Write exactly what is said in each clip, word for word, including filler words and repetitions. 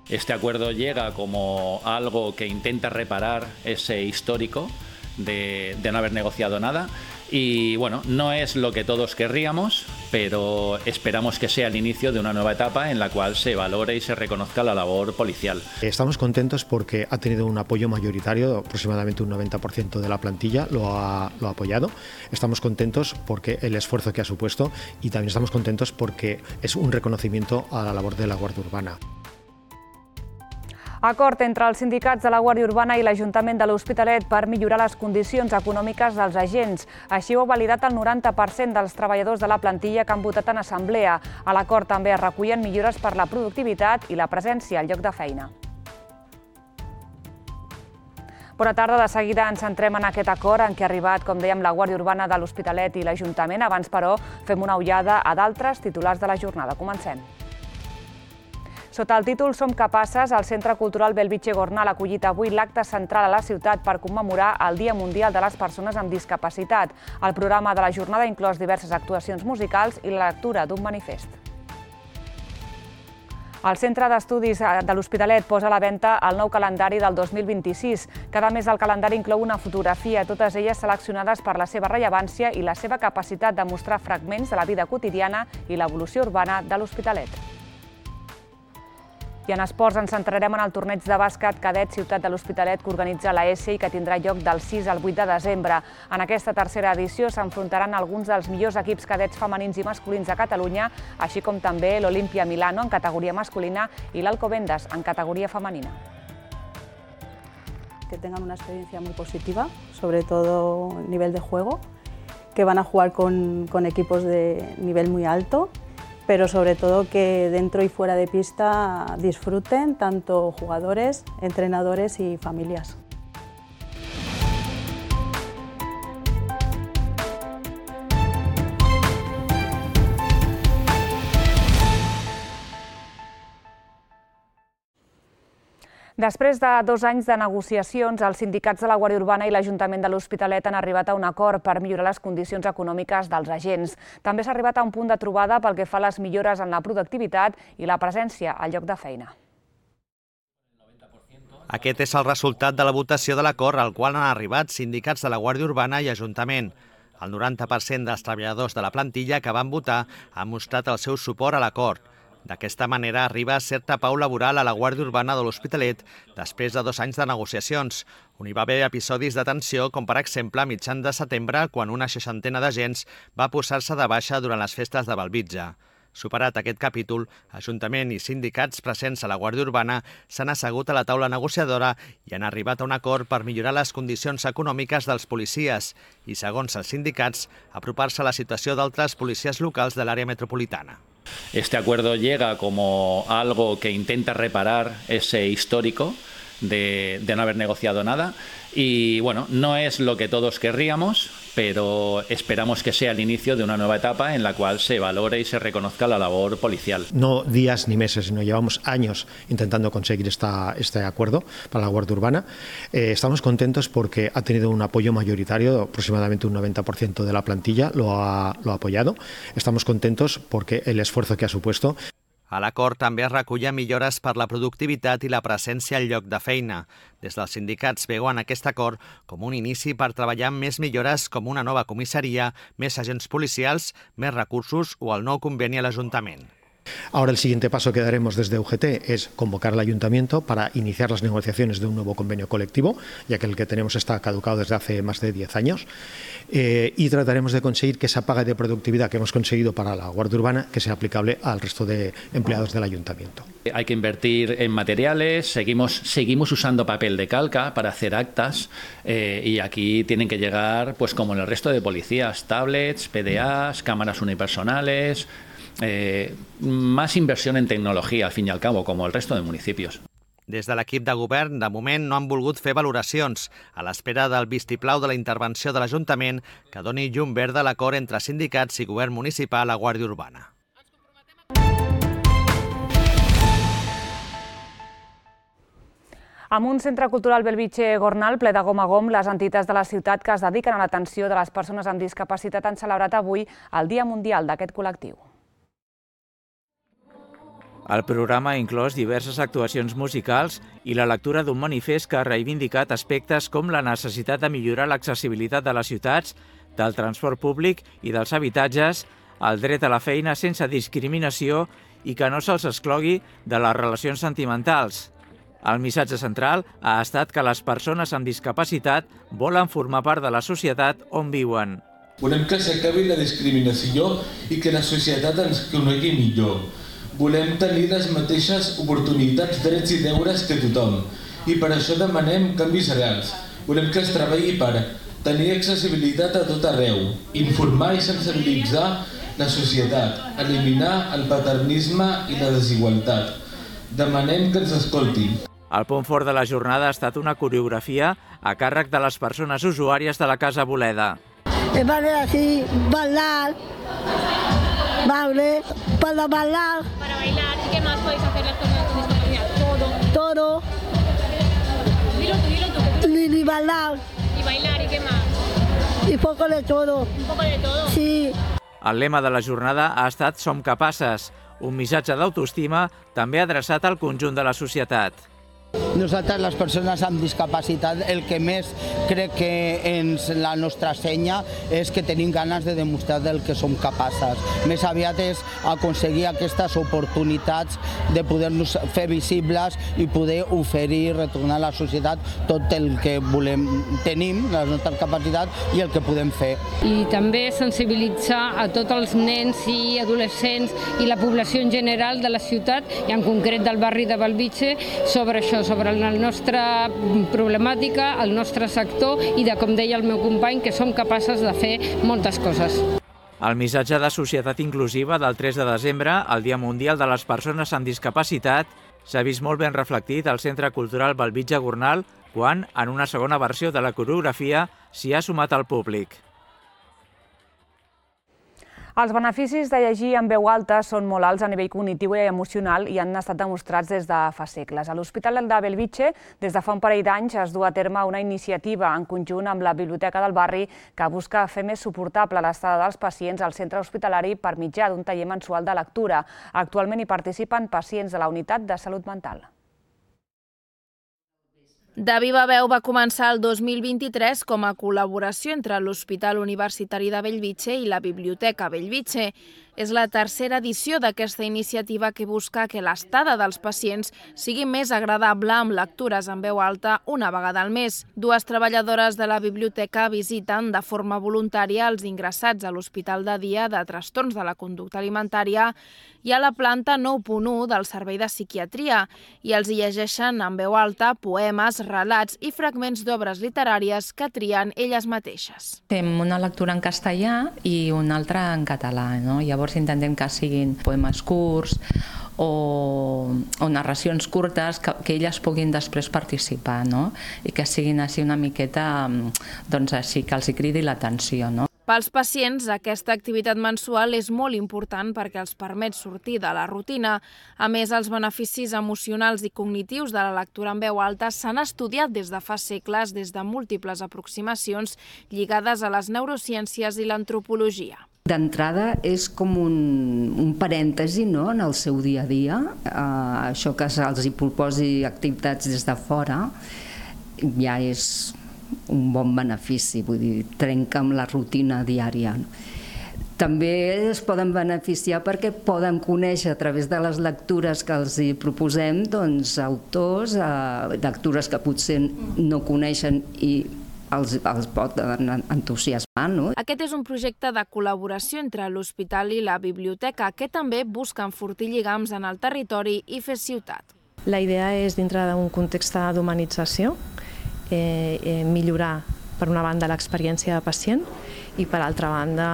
Este acuerdo llega como algo que intenta reparar ese histórico de, de no haber negociado nada y bueno, no es lo que todos querríamos, pero esperamos que sea el inicio de una nueva etapa en la cual se valore y se reconozca la labor policial. Estamos contentos porque ha tenido un apoyo mayoritario, aproximadamente un noventa por ciento de la plantilla lo ha, lo ha apoyado. Estamos contentos porque el esfuerzo que ha supuesto y también estamos contentos porque es un reconocimiento a la labor de la Guàrdia Urbana. Acord entre els sindicats de la Guàrdia Urbana i l'Ajuntament de l'Hospitalet per millorar les condicions econòmiques dels agents. Així ho ha validat el noranta per cent dels treballadors de la plantilla que han votat en assemblea. A l'acord també es recullen millores per la productivitat i la presència al lloc de feina. Bona tarda, de seguida ens centrem en aquest acord en què ha arribat, com dèiem, la Guàrdia Urbana de l'Hospitalet i l'Ajuntament. Abans, però, fem una ullada a d'altres titulars de la jornada. Comencem. Sota el títol Som capaces, el Centre Cultural Bellvitge Gornal ha acollit avui l'acte central a la ciutat per commemorar el Dia Mundial de les Persones amb Discapacitat. El programa de la jornada ha inclòs diverses actuacions musicals i la lectura d'un manifest. El Centre d'Estudis de l'Hospitalet posa a la venda el nou calendari del dos mil vint-i-sis. Cada mes el calendari inclou una fotografia, totes elles seleccionades per la seva rellevància i la seva capacitat de mostrar fragments de la vida quotidiana i l'evolució urbana de l'Hospitalet. I en esports ens centrarem en el torneig de bàsquet cadet Ciutat de l'Hospitalet que organitza l'A S I i que tindrà lloc del sis al vuit de desembre. En aquesta tercera edició s'enfrontaran alguns dels millors equips cadets femenins i masculins de Catalunya, així com també l'Olimpia Milano en categoria masculina y el Alcobendas en categoría femenina. Que tengan una experiencia muy positiva, sobre todo a nivel de juego, que van a jugar con, con equipos de nivel muy alto, pero sobre todo que dentro y fuera de pista disfruten tanto jugadores, entrenadores y familias. Després de dos anys de negociacions, els sindicats de la Guàrdia Urbana i l'Ajuntament de l'Hospitalet han arribat a un acord per millorar les condicions econòmiques dels agents. També s'ha arribat a un punt de trobada pel que fa a les millores en la productivitat i la presència al lloc de feina. Aquest és el resultat de la votació de l'acord al qual han arribat sindicats de la Guàrdia Urbana i Ajuntament. El noranta per cent dels treballadors de la plantilla que van votar han mostrat el seu suport a l'acord. D'aquesta manera arriba certa pau laboral a la Guàrdia Urbana de l'Hospitalet després de dos anys de negociacions, on hi va haver episodis de tensió, com per exemple a mitjan de setembre, quan una seixantena d'agents va posar-se de baixa durant les festes de Bellvitge. Superat aquest capítol, Ajuntament i sindicats presents a la Guàrdia Urbana s'han assegut a la taula negociadora i han arribat a un acord per millorar les condicions econòmiques dels policies i, segons els sindicats, apropar-se a la situació d'altres policies locals de l'àrea metropolitana. Este acuerdo llega como algo que intenta reparar ese histórico de, de no haber negociado nada y bueno, no es lo que todos querríamos, pero esperamos que sea el inicio de una nueva etapa en la cual se valore y se reconozca la labor policial. No días ni meses, sino llevamos años intentando conseguir esta, este acuerdo para la Guàrdia Urbana. Eh, estamos contentos porque ha tenido un apoyo mayoritario, aproximadamente un noventa por ciento de la plantilla lo ha, lo ha apoyado. Estamos contentos porque el esfuerzo que ha supuesto. A l'acord també es recullen millores per la productivitat i la presència al lloc de feina. Des dels sindicats veuen aquest acord com un inici per treballar amb més millores com una nova comissaria, més agents policials, més recursos o el nou conveni a l'Ajuntament. Ahora el siguiente paso que daremos desde U G T es convocar al Ayuntamiento para iniciar las negociaciones de un nuevo convenio colectivo, ya que el que tenemos está caducado desde hace más de diez años, eh, y trataremos de conseguir que esa paga de productividad que hemos conseguido para la Guàrdia Urbana que sea aplicable al resto de empleados del Ayuntamiento. Hay que invertir en materiales, seguimos, seguimos usando papel de calca para hacer actas eh, y aquí tienen que llegar, pues como en el resto de policías, tablets, P D As, cámaras unipersonales. Eh, más inversión en tecnología, al fin y al cabo, como el resto de municipios. Des de l'equip de govern, de moment, no han volgut fer valoracions, a l'espera del vistiplau de la intervenció de l'Ajuntament que doni llum verda a l'acord entre sindicats i govern municipal a Guàrdia Urbana. Amb un centre cultural Bellvitge Gornal ple de gom a gom, les entitats de la ciutat que es dediquen a l'atenció de les persones amb discapacitat han celebrat avui el Dia Mundial d'aquest col·lectiu. El programa ha inclòs diverses actuacions musicals i la lectura d'un manifest que ha reivindicat aspectes com la necessitat de millorar l'accessibilitat de les ciutats, del transport públic i dels habitatges, el dret a la feina sense discriminació i que no se'ls exclogui de les relacions sentimentals. El missatge central ha estat que les persones amb discapacitat volen formar part de la societat on viuen. Volem que s'acabi la discriminació i que la societat ens conegui millor. Volem tenir les mateixes oportunitats, drets i deures que tothom. I per això demanem canvis reals. Volem que es treballi per tenir accessibilitat a tot arreu, informar i sensibilitzar la societat, eliminar el paternisme i la desigualtat. Demanem que ens escoltin. El punt fort de la jornada ha estat una coreografia a càrrec de les persones usuàries de la Casa Boleda. Vale, así, bailar, vale, para bailar. Para bailar, ¿y qué más podéis hacer las personas con discapacidad? Todo. Todo. Dilo tú, dilo tú. Y bailar. Y bailar, ¿y qué más? Y poco de todo. Un poco de todo. Sí. El lema de la jornada ha estat Som capaces, un missatge d'autoestima també adreçat al conjunt de la societat. Nosaltres, les persones amb discapacitat, el que més crec que ens la nostra senya és que tenim ganes de demostrar del que som capaces. Més aviat és aconseguir aquestes oportunitats de poder-nos fer visibles i poder oferir i retornar a la societat tot el que volem, tenim, les nostres capacitats i el que podem fer. I també sensibilitzar a tots els nens i adolescents i la població en general de la ciutat i en concret del barri de Bellvitge sobre això, sobre la nostra problemàtica, el nostre sector i de, com deia el meu company, que som capaces de fer moltes coses. El missatge de societat inclusiva del tres de desembre, el Dia Mundial de les Persones amb Discapacitat, s'ha vist molt ben reflectit al Centre Cultural Bellvitge Gornal quan, en una segona versió de la coreografia, s'hi ha sumat al públic. Els beneficis de llegir en veu alta són molt alts a nivell cognitiu i emocional i han estat demostrats des de fa segles. A l'Hospital de Bellvitge, des de fa un parell d'anys, es du a terme una iniciativa en conjunt amb la Biblioteca del Barri que busca fer més suportable l'estada dels pacients al centre hospitalari per mitjà d'un taller mensual de lectura. Actualment hi participen pacients de la Unitat de Salut Mental. De viva veu va començar el dos mil vint-i-tres com a col·laboració entre l'Hospital Universitari de Bellvitge i la Biblioteca Bellvitge. És la tercera edició d'aquesta iniciativa que busca que l'estada dels pacients sigui més agradable amb lectures en veu alta una vegada al mes. Dues treballadores de la biblioteca visiten de forma voluntària els ingressats a l'Hospital de Dia de Trastorns de la Conducta Alimentària i a la planta nou punt u del Servei de Psiquiatria i els llegeixen en veu alta poemes, relats i fragments d'obres literàries que trien elles mateixes. Fem una lectura en castellà i una altra en català, no? Llavors intentem que siguin poemes curts o, o narracions curtes que, que elles puguin després participar, no? I que siguin així una miqueta, doncs així, que els hi cridi l'atenció, no? Pels pacients, aquesta activitat mensual és molt important perquè els permet sortir de la rutina. A més, els beneficis emocionals i cognitius de la lectura en veu alta s'han estudiat des de fa segles des de múltiples aproximacions lligades a les neurociències i l'antropologia. D'entrada és com un, un parèntesi, no?, en el seu dia a dia. Uh, això que se'ls hi proposi activitats des de fora ja és un bon benefici, vull dir, trenca amb la rutina diària. També es poden beneficiar perquè poden conèixer a través de les lectures que els hi proposem doncs, autors, eh, lectures que potser no coneixen i els, els poden entusiasmar, no? Aquest és un projecte de col·laboració entre l'hospital i la biblioteca que també busca enfortir lligams en el territori i fer ciutat. La idea és, dintre d'un context d'humanització, Eh, eh, millorar, per una banda, l'experiència de pacient i, per altra banda,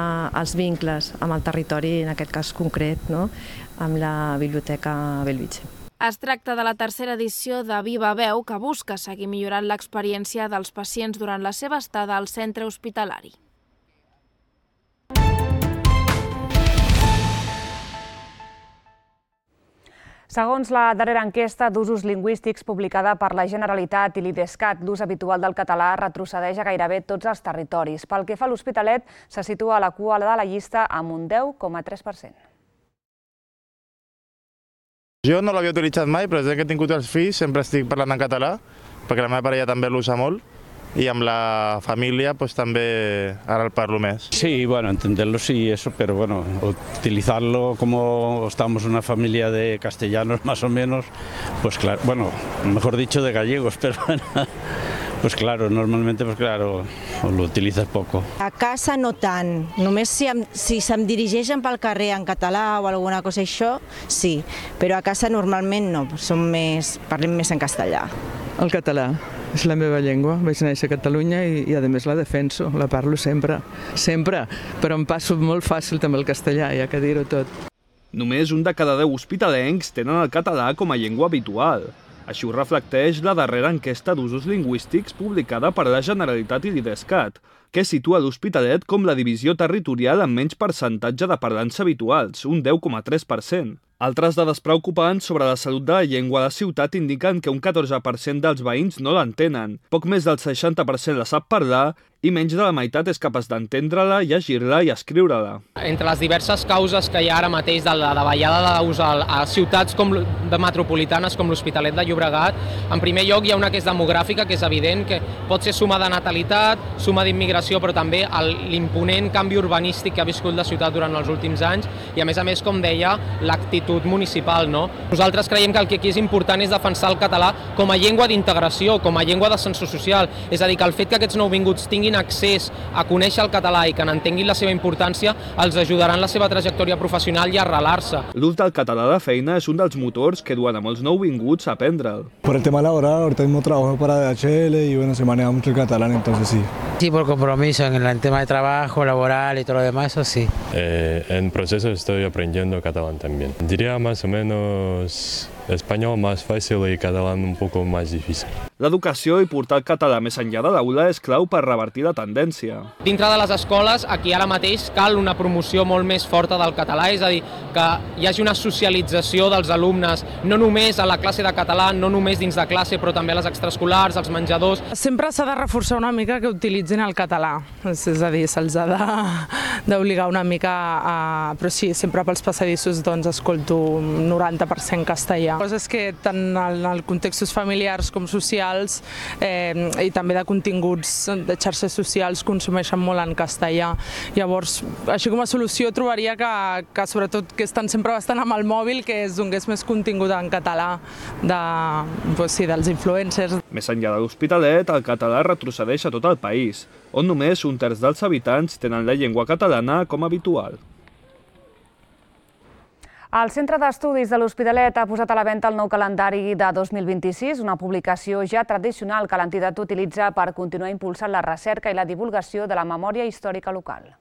els vincles amb el territori, en aquest cas concret, no?, amb la Biblioteca Bellvitge. Es tracta de la tercera edició de Viva Veu que busca seguir millorant l'experiència dels pacients durant la seva estada al centre hospitalari. Segons la darrera enquesta d'usos lingüístics publicada per la Generalitat i l'IDESCAT, l'ús habitual del català retrocedeix a gairebé tots els territoris. Pel que fa a l'Hospitalet, se situa a la cua de la llista amb un deu coma tres per cent. Jo no l'havia utilitzat mai, però des que he tingut els fills sempre estic parlant en català, perquè la meva parella també l'usa molt, y amb la familia pues también ahora el parlo más. Sí, bueno, entenderlo sí, eso, pero bueno, utilizarlo como estamos una familia de castellanos más o menos, pues claro, bueno, mejor dicho de gallegos, pero bueno, pues claro, normalmente pues claro, lo utilizas poco. A casa no tant, només si, em, si se'm dirigeixen pel carrer en català o alguna cosa això, sí, però a casa normalment no, som més, parlem més en castellà. El català. És la meva llengua, vaig néixer a Catalunya i, i a més la defenso, la parlo sempre, sempre, però em passo molt fàcil també el castellà, ja que dir-ho tot. Només un de cada deu hospitalencs tenen el català com a llengua habitual. Així ho reflecteix la darrera enquesta d'usos lingüístics publicada per la Generalitat i l'Idescat, que situa l'Hospitalet com la divisió territorial amb menys percentatge de parlants habituals, un deu coma tres per cent. Altres dades preocupants sobre la salut de la llengua a la ciutat indiquen que un catorze per cent dels veïns no l'entenen, poc més del seixanta per cent la sap parlar i menys de la meitat és capaç d'entendre-la, llegir-la i escriure-la. Entre les diverses causes que hi ha ara mateix de la davallada d'ús a ciutats com de metropolitanes com l'Hospitalet de Llobregat, en primer lloc hi ha una que és demogràfica, que és evident que pot ser suma de natalitat, suma d'immigració, però també l'imponent canvi urbanístic que ha viscut la ciutat durant els últims anys i, a més a més, com deia, l'actitud municipal, no? Nosaltres creiem que el que aquí és important és defensar el català com a llengua d'integració, com a llengua d'ascensor social, és a dir, que el fet que aquests nouvinguts tinguin accés a conèixer el català i que n'entenguin la seva importància els ajudarà en la seva trajectòria professional i a arrelar-se. L'ús del català de feina és un dels motors que duen a molts nouvinguts a aprendre'l. Por el tema laboral, ahorita mismo trabajo para D H L y bueno, se maneja mucho el catalán, entonces sí. Sí, por compromiso en el tema de trabajo, laboral y todo lo demás, eso sí. Eh, en proceso estoy aprendiendo catalán también. Diría más o menos español más fácil y catalán un poco más difícil. L'educació i portar el català més enllà de l'aula és clau per revertir la tendència. Dintre de les escoles, aquí ara mateix cal una promoció molt més forta del català, és a dir, que hi hagi una socialització dels alumnes, no només a la classe de català, no només dins de classe, però també a les extraescolars, als menjadors. Sempre s'ha de reforçar una mica que utilitzin el català, és a dir, se'ls ha d'obligar una mica a... Però sí, sempre pels passadissos doncs escolto un noranta per cent castellà. Coses que tant en els contextos familiars com socials eh, i també de continguts de xarxes socials consumeixen molt en castellà. Llavors, així com a solució trobaria que, que sobretot que estan sempre bastant amb el mòbil, que es donés més contingut en català de, doncs sí, dels influencers. Més enllà de l'Hospitalet, el català retrocedeix a tot el país, on només un terç dels habitants tenen la llengua catalana com a habitual. El Centre d'Estudis de l'Hospitalet ha posat a la venda el nou calendari de dos mil vint-i-sis, una publicació ja tradicional que l'entitat utilitza per continuar impulsant la recerca i la divulgació de la memòria històrica local.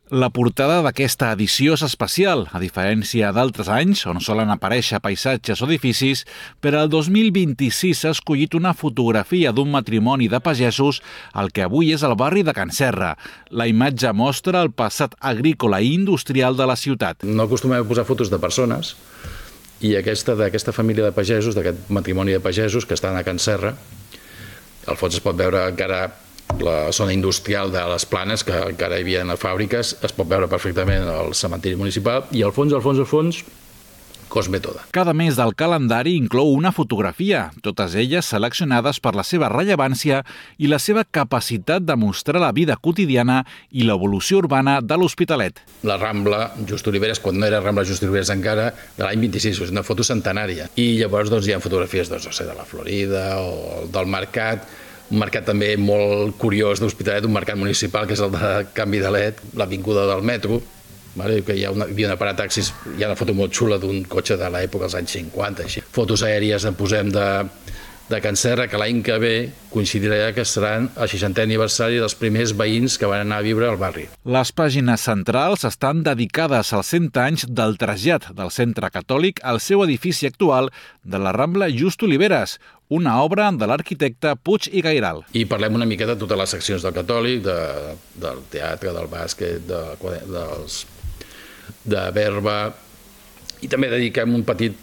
La portada d'aquesta edició és especial, a diferència d'altres anys, on solen aparèixer paisatges o edificis, per al dos mil vint-i-sis s'ha escollit una fotografia d'un matrimoni de pagesos al que avui és el barri de Can Serra. La imatge mostra el passat agrícola i industrial de la ciutat. No acostumem a posar fotos de persones, i aquesta d'aquesta família de pagesos, d'aquest matrimoni de pagesos que estan a Can Serra, al fons es pot veure encara la zona industrial de les Planes, que encara hi havia fàbriques, es pot veure perfectament el cementiri municipal, i al fons, al fons, al fons, Cosme Toda. Cada mes del calendari inclou una fotografia, totes elles seleccionades per la seva rellevància i la seva capacitat de mostrar la vida quotidiana i l'evolució urbana de l'Hospitalet. La Rambla Just Oliveres, quan no era Rambla Just Oliveres encara, de l'any vint-i-sis, és una foto centenària. I llavors doncs, hi ha fotografies doncs, no sé, de la Florida o del mercat, un mercat també molt curiós d'Hospitalet, un mercat municipal, que és el de Canvi de L E D, l'avinguda del metro, vale? Que hi ha una, hi havia una parataxis, hi ha una foto molt xula d'un cotxe de l'època dels anys cinquanta. Així. Fotos aèries en posem de, de Can Serra, que l'any que ve coincidirà que seran el seixantè aniversari dels primers veïns que van anar a viure al barri. Les pàgines centrals estan dedicades als cent anys del trasllat del Centre Catòlic al seu edifici actual de la Rambla Just Oliveres, una obra de l'arquitecte Puig i Gairal. I parlem una miqueta de totes les seccions del Catòlic, de, del teatre, del bàsquet, de, dels, de Berba, i també dediquem un petit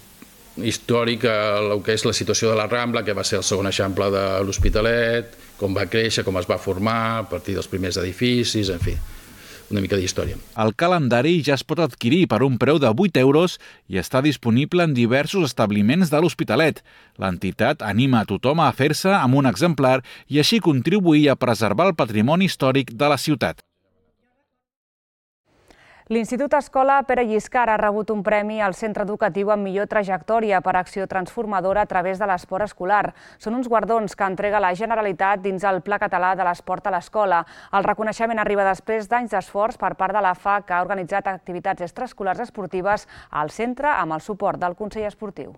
històric a el que és la situació de la Rambla, que va ser el segon eixample de l'Hospitalet, com va créixer, com es va formar, a partir dels primers edificis, en fi. una mica d'història. El calendari ja es pot adquirir per un preu de vuit euros i està disponible en diversos establiments de l'Hospitalet. L'entitat anima a tothom a fer-se amb un exemplar i així contribuir a preservar el patrimoni històric de la ciutat. L'Institut Escola Pere Lliscar ha rebut un premi al centre educatiu amb millor trajectòria per acció transformadora a través de l'esport escolar. Són uns guardons que entrega la Generalitat dins el Pla Català de l'Esport a l'Escola. El reconeixement arriba després d'anys d'esforç per part de l'A F A, que ha organitzat activitats extraescolars esportives al centre amb el suport del Consell Esportiu.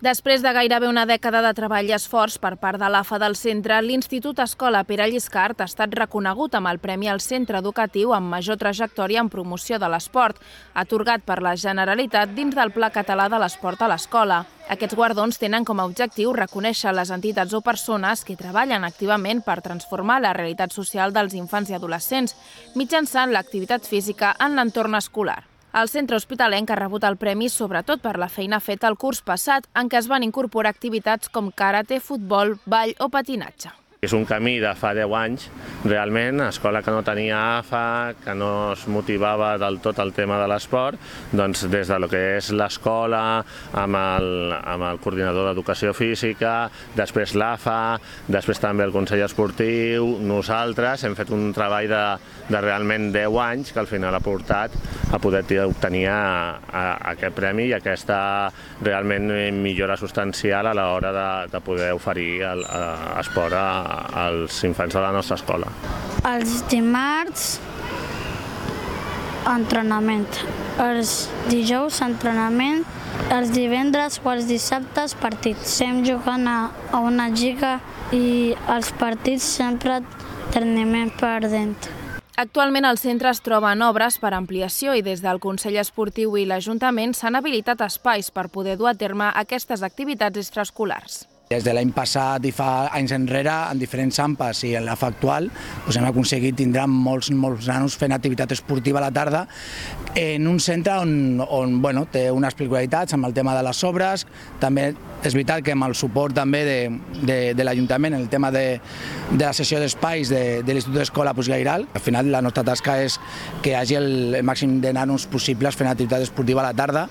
Després de gairebé una dècada de treball i esforç per part de l'A F A del centre, l'Institut Escola Pere Lliscar ha estat reconegut amb el Premi al Centre Educatiu amb major trajectòria en promoció de l'esport, atorgat per la Generalitat dins del Pla Català de l'Esport a l'Escola. Aquests guardons tenen com a objectiu reconèixer les entitats o persones que treballen activament per transformar la realitat social dels infants i adolescents mitjançant l'activitat física en l'entorn escolar. El centre hospitalenc ha rebut el premi sobretot per la feina feta el curs passat, en què es van incorporar activitats com karate, futbol, ball o patinatge. És un camí de fa deu anys, realment, escola que no tenia A F A, que no es motivava del tot el tema de l'esport, doncs des de lo que és l'escola, amb el, amb el coordinador d'educació física, després l'A F A, després també el Consell Esportiu, nosaltres hem fet un treball de, de realment deu anys que al final ha portat a poder obtenir a, a, aquest premi i aquesta realment millora substancial a l'hora de, de poder oferir el, a, esport a als infants de la nostra escola. Els dimarts, entrenament. Els dijous, entrenament. Els divendres o els dissabtes, partits. Estem jugant a, a una lliga i els partits sempre terminem perdent. Actualment el centre es troba en obres per ampliació i des del Consell Esportiu i l'Ajuntament s'han habilitat espais per poder dur a terme aquestes activitats extraescolars. Des de l'any passat i fa anys enrere, en diferents AMPAs i en l'A F A actual, doncs hem aconseguit tindre molts, molts nanos fent activitat esportiva a la tarda en un centre on, on bueno, té unes peculiaritats amb el tema de les obres. També és veritat que amb el suport també de, de, de l'Ajuntament en el tema de, de la sessió d'espais de, de l'Institut d'Escola Postgairal. Al final la nostra tasca és que hi hagi el, el màxim de nanos possibles fent activitat esportiva a la tarda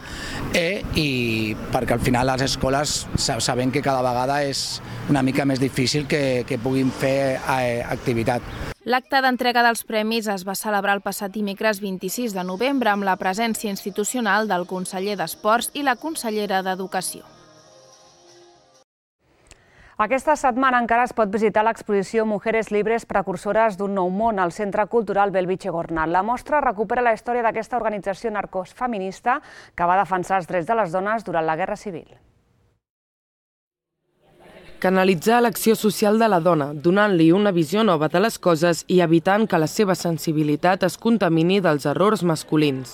eh, i perquè al final les escoles sabem que cada vegada és una mica més difícil que, que puguin fer eh, activitat. L'acte d'entrega dels premis es va celebrar el passat dimecres vint-i-sis de novembre amb la presència institucional del conseller d'Esports i la consellera d'Educació. Aquesta setmana encara es pot visitar l'exposició Mujeres Libres Precursores d'un nou món al Centre Cultural Belvitge Gornal. La mostra recupera la història d'aquesta organització narcofeminista que va defensar els drets de les dones durant la Guerra Civil. Canalitzar l'acció social de la dona, donant-li una visió nova de les coses i evitant que la seva sensibilitat es contamini dels errors masculins.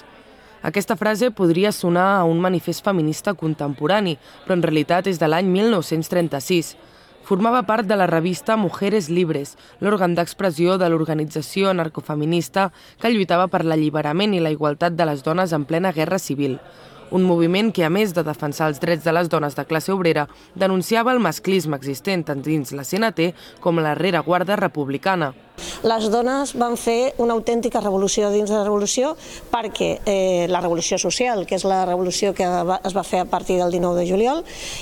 Aquesta frase podria sonar a un manifest feminista contemporani, però en realitat és de l'any mil nou-cents trenta-sis. Formava part de la revista Mujeres Libres, l'òrgan d'expressió de l'organització narcofeminista que lluitava per l'alliberament i la igualtat de les dones en plena Guerra Civil. Un moviment que, a més de defensar els drets de les dones de classe obrera, denunciava el masclisme existent tant dins la C N T com la rereguarda republicana. Les dones van fer una autèntica revolució dins de la revolució perquè eh, la revolució social, que és la revolució que va, es va fer a partir del dinou de juliol,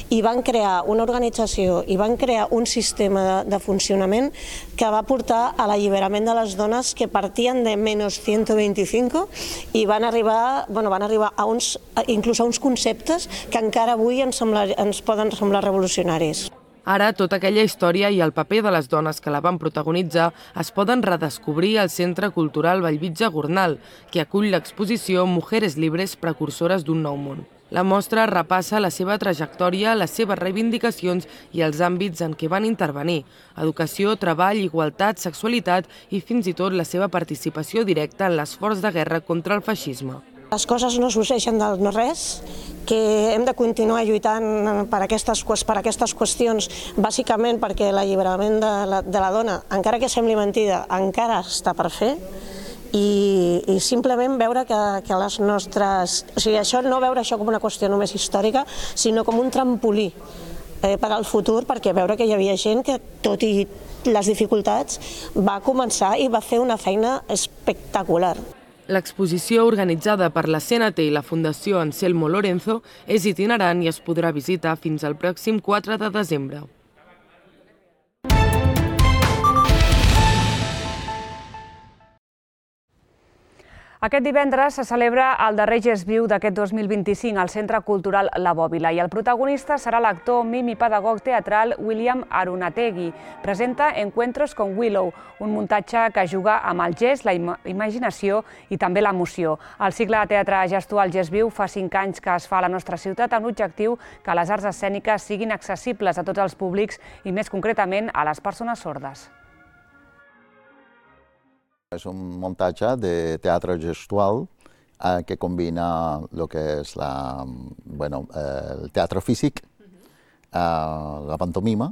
i van crear una organització i van crear un sistema de, de funcionament que va portar a l'alliberament de les dones que partien de menys cent vint-i-cinc i van arribar, bueno, van arribar a uns, inclús a uns conceptes que encara avui ens, sembla, ens poden semblar revolucionaris. Ara, tota aquella història i el paper de les dones que la van protagonitzar es poden redescobrir al Centre Cultural Belvitge Gornal, que acull l'exposició Mujeres Libres Precursores d'un nou món. La mostra repassa la seva trajectòria, les seves reivindicacions i els àmbits en què van intervenir: educació, treball, igualtat, sexualitat i fins i tot la seva participació directa en l'esforç de guerra contra el feixisme. Les coses no sorgeixen del no res, que hem de continuar lluitant per aquestes, per aquestes qüestions, bàsicament perquè l'alliberament de, la, de la dona, encara que sembli mentida, encara està per fer, i, i simplement veure que, que les nostres... O sigui, això, no veure això com una qüestió només històrica, sinó com un trampolí per al futur, perquè veure que hi havia gent que, tot i les dificultats, va començar i va fer una feina espectacular. L'exposició organitzada per la C N T i la Fundació Anselmo Lorenzo és itinerant i es podrà visitar fins al pròxim quatre de desembre. Aquest divendres se celebra el darrer Gest Viu d'aquest dos mil vint-i-cinc al Centre Cultural La Bòbila i el protagonista serà l'actor, mim i pedagog teatral William Arunategui. Presenta Encuentros con Willow, un muntatge que juga amb el gest, la imaginació i també l'emoció. El cicle de teatre gestual Gest Viu fa cinc anys que es fa a la nostra ciutat amb l'objectiu que les arts escèniques siguin accessibles a tots els públics i més concretament a les persones sordes. És un muntatge de teatre gestual eh, que combina el que és la, bueno, eh, el teatre físic, eh, la pantomima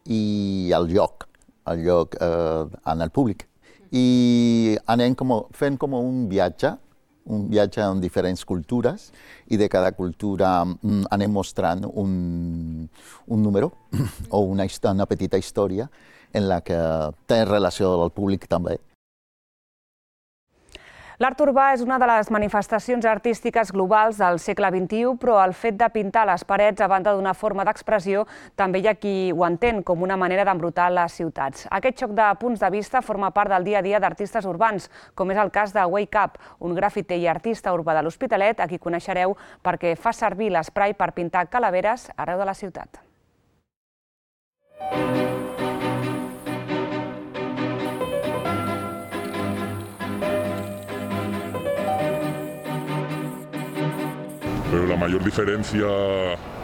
i el joc, el joc eh, en el públic. I anem com, fent com un viatge, un viatge en diferents cultures i de cada cultura mm, anem mostrant un, un número o una, una petita història en la que té relació amb el públic també. L'art urbà és una de les manifestacions artístiques globals del segle vint-i-u, però el fet de pintar les parets, a banda d'una forma d'expressió, també hi ha qui ho entén com una manera d'embrutar les ciutats. Aquest xoc de punts de vista forma part del dia a dia d'artistes urbans, com és el cas de Wake Up, un grafiter i artista urbà de l'Hospitalet, a qui coneixereu perquè fa servir l'esprai per pintar calaveres arreu de la ciutat. Pero la mayor diferencia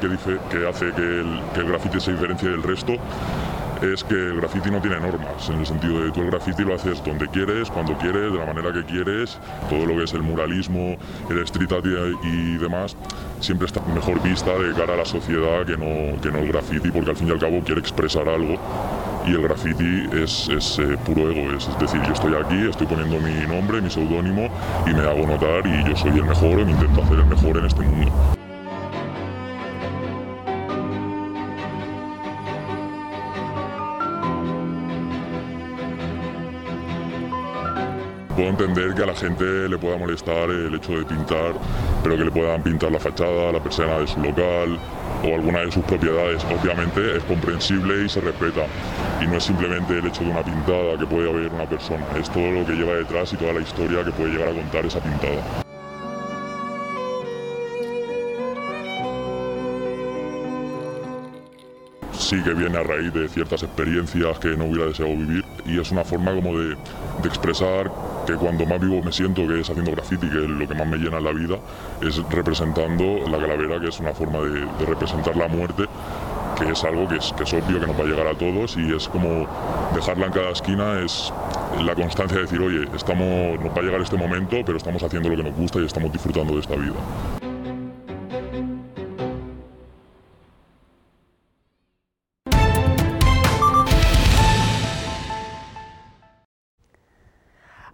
que, dice, que hace que el, que el graffiti se diferencie del resto es que el graffiti no tiene normas, en el sentido de tú el graffiti lo haces donde quieres, cuando quieres, de la manera que quieres. Todo lo que es el muralismo, el street art y demás siempre está mejor vista de cara a la sociedad que no, que no el graffiti, porque al fin y al cabo quiere expresar algo y el graffiti es, es eh, puro ego, es, es decir, yo estoy aquí, estoy poniendo mi nombre, mi seudónimo y me hago notar y yo soy el mejor y me intento hacer el mejor en este mundo. Puedo entender que a la gente le pueda molestar el hecho de pintar, pero que le puedan pintar la fachada, la persiana de su local o alguna de sus propiedades. Obviamente es comprensible y se respeta. Y no es simplemente el hecho de una pintada que puede haber una persona, es todo lo que lleva detrás y toda la historia que puede llegar a contar esa pintada. Sí que viene a raíz de ciertas experiencias que no hubiera deseado vivir y es una forma como de, de expresar que cuando más vivo me siento, que es haciendo graffiti, que es lo que más me llena en la vida, es representando la calavera, que es una forma de, de representar la muerte, que es algo que es, que es obvio que nos va a llegar a todos y es como dejarla en cada esquina, es la constancia de decir, oye, estamos, nos va a llegar este momento, pero estamos haciendo lo que nos gusta y estamos disfrutando de esta vida.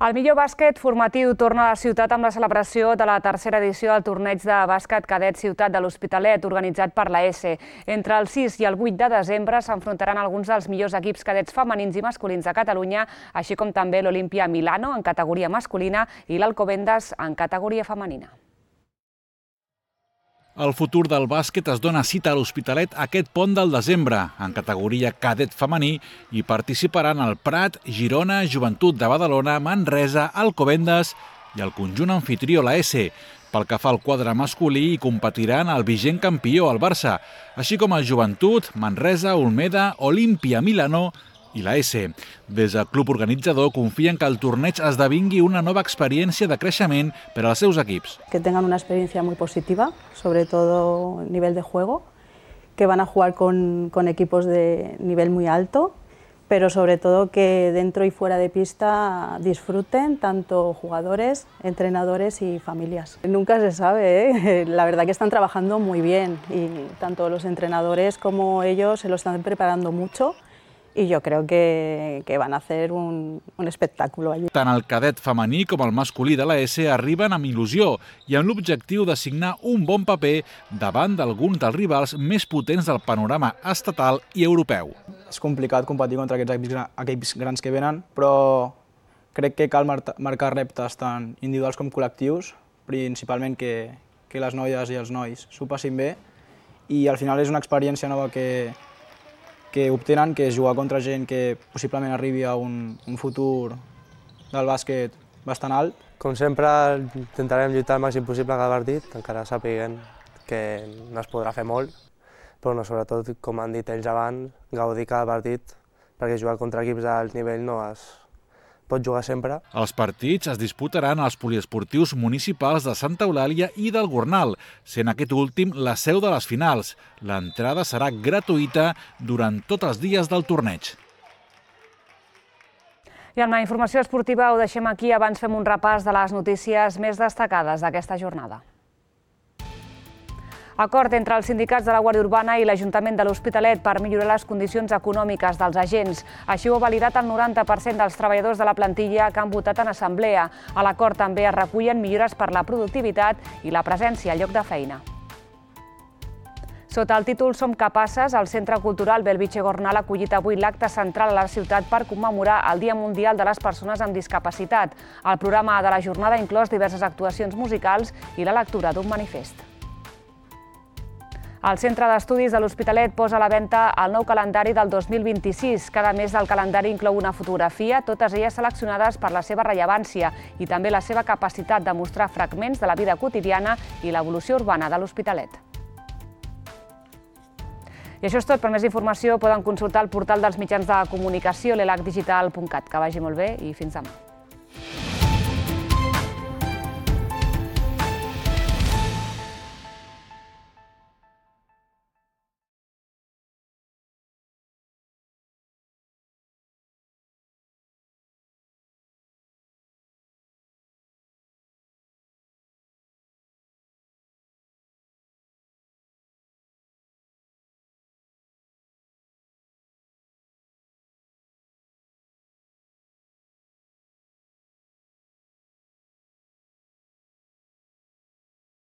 El millor bàsquet formatiu torna a la ciutat amb la celebració de la tercera edició del torneig de bàsquet cadet Ciutat de l'Hospitalet, organitzat per la ESE. Entre el sis i el vuit de desembre s'enfrontaran alguns dels millors equips cadets femenins i masculins de Catalunya, així com també l'Olimpia Milano en categoria masculina i l'Alcobendas en categoria femenina. El futur del bàsquet es dona cita a l'Hospitalet aquest pont del desembre, en categoria cadet femení, i participaran el Prat, Girona, Joventut de Badalona, Manresa, Alcobendas i el conjunt anfitrió, la ESE. Pel que fa al quadre masculí, hi competiran el vigent campió, el Barça, així com el Joventut, Manresa, Olmeda, Olimpia Milano i la ESE. Des del club organitzador confien que el torneig esdevingui una nova experiència de creixement per als seus equips. Que tengan una experiencia muy positiva, sobre todo a nivel de juego, que van a jugar con, con equipos de nivel muy alto, pero sobre todo que dentro y fuera de pista disfruten tanto jugadores, entrenadores y familias. Nunca se sabe, ¿eh? La verdad que están trabajando muy bien y tanto los entrenadores como ellos se lo están preparando mucho. y yo creo que, que van a hacer un, un espectáculo allí. Tant el cadet femení com el masculí de l'A S arriben amb il·lusió i amb l'objectiu de signar un bon paper davant d'alguns dels rivals més potents del panorama estatal i europeu. És complicat competir contra aquests equips grans que venen, però crec que cal marcar reptes tant individuals com col·lectius, principalment que, que les noies i els nois s'ho passin bé, i al final és una experiència nova que, que obtenen, que és jugar contra gent que possiblement arribi a un, un futur del bàsquet bastant alt. Com sempre, intentarem lluitar el màxim possible cada partit, encara sapiguem que no es podrà fer molt, però no, sobretot, com han dit ells abans, gaudir cada partit, perquè jugar contra equips d'alt nivell no es pot jugar sempre. Els partits es disputaran als poliesportius municipals de Santa Eulàlia i del Gornal, sent aquest últim la seu de les finals. L'entrada serà gratuïta durant tots els dies del torneig. I amb la informació esportiva ho deixem aquí, abans fem un repàs de les notícies més destacades d'aquesta jornada. Acord entre els sindicats de la Guàrdia Urbana i l'Ajuntament de l'Hospitalet per millorar les condicions econòmiques dels agents. Així ho ha validat el noranta per cent dels treballadors de la plantilla que han votat en assemblea. A l'acord també es recullen millores per la productivitat i la presència al lloc de feina. Sota el títol Som capaces, el Centre Cultural Belvitge Gornal ha acollit avui l'acte central a la ciutat per commemorar el Dia Mundial de les Persones amb Discapacitat. El programa de la jornada ha inclòs diverses actuacions musicals i la lectura d'un manifest. El Centre d'Estudis de l'Hospitalet posa a la venda el nou calendari del dos mil vint-i-sis. Cada mes del calendari inclou una fotografia, totes elles seleccionades per la seva rellevància i també la seva capacitat de mostrar fragments de la vida quotidiana i l'evolució urbana de l'Hospitalet. I això és tot. Per més informació poden consultar el portal dels mitjans de comunicació, l'elac digital punt cat. Que vagi molt bé i fins demà.